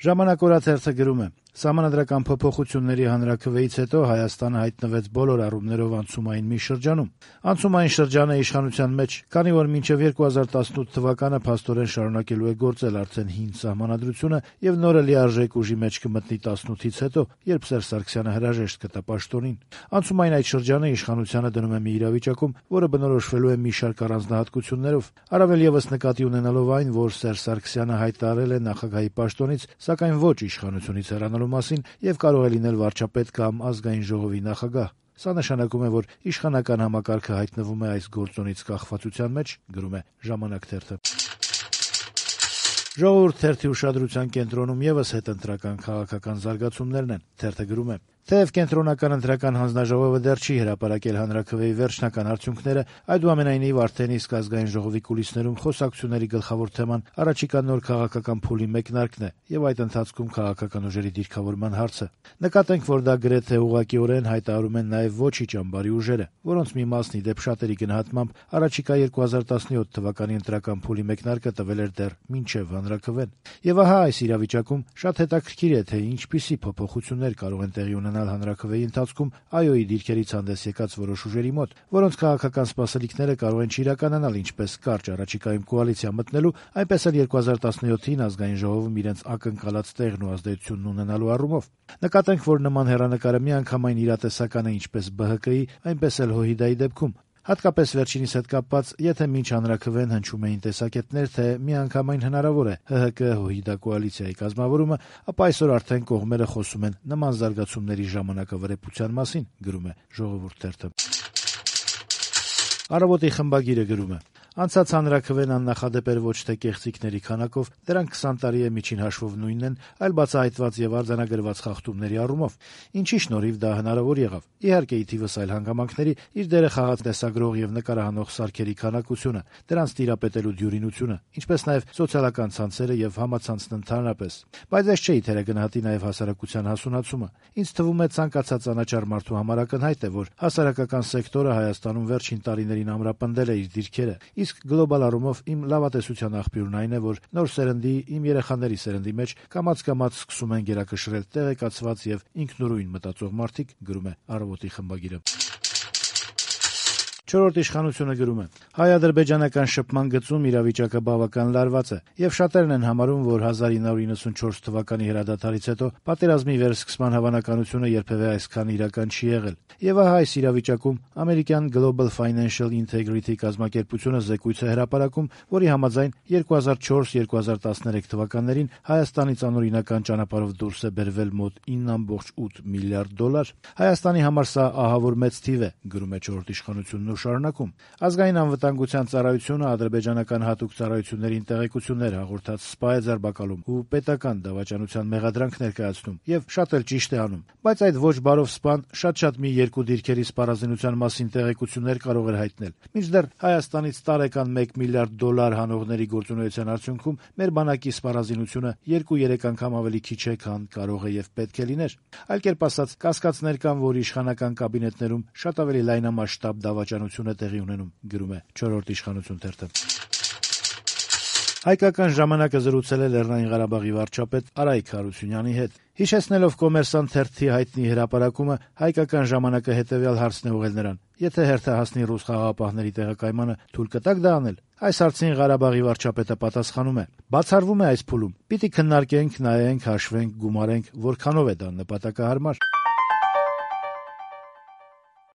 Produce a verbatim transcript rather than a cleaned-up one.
Ժամանակ օրաթերթը գրում է. Սահմանադրական փոփոխությունների հանրաքվեից հետո Հայաստանը հայտնվեց բոլոր առումներով անցումային մի շրջանում։ Անցումային շրջանը իշխանության մեջ, քանի որ մինչև երկու հազար տասնութ թվականը փաստորեն շարունակելու է գործել արդեն հին սահմանադրությունը եւ նորը լիարժեք ուժի մեջ կմտնի տասնութից հետո, երբ Սերժ Սարգսյանը հրաժեշտ կտա պաշտոնին։ Անցումային այդ շրջանը իշխանությանը դնում է մի իրավիճակում, որը բնորոշվելու է մի շարք առանձնահատկություններով, առավել եւս նկատի ունենալով այն, որ Սերժ Սարգսյանը հայտարարել է նախագահի պաշտոնից, սակայն ոչ իշխանությունից հեռանալու մասին եւ կարող է լինել վարչապետ կամ ազգային ժողովի նախագահ։ Սա նշանակում է, որ իշխանական համակարգը հայտնվում է այս գործոնից կախվածության մեջ, գրում է «Ժամանակ» թերթը։ Ժողովուրդ թերթի ուշադրության կենտրոնում եւս հետընտրական քաղաքական զարգացումներն են։ Թերթը գրում է. Թեև կենտրոնական ընտրական հանձնաժողովը դեռ չի հրապարակել հանրաքվեի վերջնական արդյունքները, այդուամենայնիվ արդեն իսկ ազգային ժողովի կուլիսներում խոսակցությունների գլխավոր թեման առաջիկա նոր քաղաքական փուլի մեկնարկն է եւ այդ ընթացքում քաղաքական ուժերի դիրքավորման հարցը։ Նկատենք, որ դա գրեթե ուղղակիորեն հայտարարում են նաեւ ոչի ճամբարի ուժերը, որոնց մի մասն ի դեպ շատերի գնահատմամբ առաջիկա երկու հազար տասնյոթ թվականի ընտրական փուլի մեկնարկը տվել էր դեռ մինչեւ հանրաքվեն։ Եվ ահա այս իրավիճակում շատ հետաքրքիր է, թե ինչպիսի փոփոխություններ կարող են տեղի ունենալ հանրաքվեի ընթացքում ԱՅՈ-ի դիրքերից հանդես եկած որոշ ուժերի մոտ, որոնց քաղաքական սպասելիքները կարող են չիրականանալ ինչպես կարճ առաջիկայում կոալիցիա մտնելու, այնպես էլ երկու հազար տասնյոթին ազգային ժողովում իրենց ակնկալած տեղն ու ազդեցությունն ունենալու առումով։ Նկատենք, որ նման հեռանկարը միանգամայն իրատեսական է ինչպես Բ Հ Կի, այնպես էլ ՀՅԴ-ի դեպքում։ Հատկապես վերջինիս հետ կապված, եթե մինչ հանրաքվեն հնչում էին տեսակետներ, թե միանգամայն հնարավոր է Հ Հ К ՀՅԴ կոալիցիայի կազմավորումը, ապա այսօր արդեն կողմերը խոսում են նման զարգացումների ժամանակավրեպության մասին, գրում է «Ժողովուրդ» թերթը։ Առավոտի խմբագիրը գրում է. Անցած հանրաքվեն աննախադեպ էր ոչ թե կեղծիքների քանակով, դրանք քսան տարի է միջին հաշվով նույնն են, այլ բացահայտված եւ արձանագրված խախտումների առումով։ Ինչի շնորհիվ դա հնարավոր եղավ։ Իհարկե, ի թիվս այլ հանգամանքների իր դերը խաղաց տեսագրող եւ նկարահանող սարքերի քանակությունը, դրանց տիրապետելու դյուրինությունը, ինչպես նաեւ սոցիալական ցանցերը եւ համացանցն ընդհանրապես։ Բայց այս չէ թերագնահատի նաեւ հասարակության հասունացումը։ Ինձ թվում է ցանկացած անաչառ մարդու համար ակնհայտ է, որ հասարակական սեկտորը Հայաստանում վերջին տարիներին ամրապնդել է իր դիրքերը։ Իսկ գլոբալ առումով իմ լավատեսության աղբյուրն այն է, որ նոր սերնդի, իմ երեխաների սերնդի մեջ կամաց-կամաց սկսում են գերակշռել տեղեկացված եւ ինքնուրույն մտածող մարդիկ, գրում է «Առավոտի» խմբագիրը։ Չորրորդ իշխանությունը գրում է. հայ-ադրբեջանական շփման գծում իրավիճակը բավական լարված է, եւ շատերն են համարում, որ հազար ինը հարյուր նվաթ թվականի հրադադարից հետո պատերազմի վերսկսման հավանականությունը երբևէ այսքան իրական չի եղել։ Եվ ահա այս իրավիճակում ամերիկյան Global Financial Integrity կազմակերպությունը զեկույց է հրապարակում, որի համաձայն երկու հազար չորս երկու հազար տասներեք թվականներին Հայաստանից անօրինական ճանապարհով դուրս է բերվել մոտ ինը կoma ութ միլիարդ դոլար։ Հայաստանի համար սա ահավոր մեծ թիվ է, գրում է չորրորդ իշխանությունն ու շարունակում. Ազգային անվտանգության ծառայությունը ադրբեջանական հատուկ ծառայություններին տեղեկություններ հաղորդած սպա է ձերբակալում ու պետական դավաճանության մեղադրանք ներկայացնում, եւ շատ էլ ճիշտ է անում։ Բայց այդ ոչ բարով սպան շատ-շատ մի երկու դիրքերի սպառազինության մասին տեղեկություններ կարող էր հայտնել։ Մինչդեռ Հայաստանից տարեկան մեկ միլիարդ դոլար հանողների գործունեության արդյունքում մեր բանակի սպառազինությունը երկու-երեք անգամ ավելի քիչ է, քան կարող է եւ պետք է լիներ։ Այլ կերպ ասած, կասկածներ կան, որ իշխանական կաբինետներում շատ ավելի լայնամասշտաբ դավաճանություն է տեղի ունենում, գրում է չորրորդ իշխանություն թերթը։ Հայկական ժամանակը զրուցել է Լեռնային Ղարաբաղի վարչապետ Արայք Հարությունյանի հետ։ Հիշեցնելով Կոմերսանտ թերթի հայտնի հրապարակումը, Հայկական ժամանակը հետեւյալ հարցն է ուղղել նրան. Եթե հերթը հասնի ռուս խաղաղապահների տեղակայմանը, թույլ կտաք դա անել։ Այս հարցին Ղարաբաղի վարչապետը պատասխանում է. Բացառվում է այս փուլում։ Պիտի քննարկենք, նայենք, հաշվենք, գումարենք, որքանով է դա նպատակահարմար։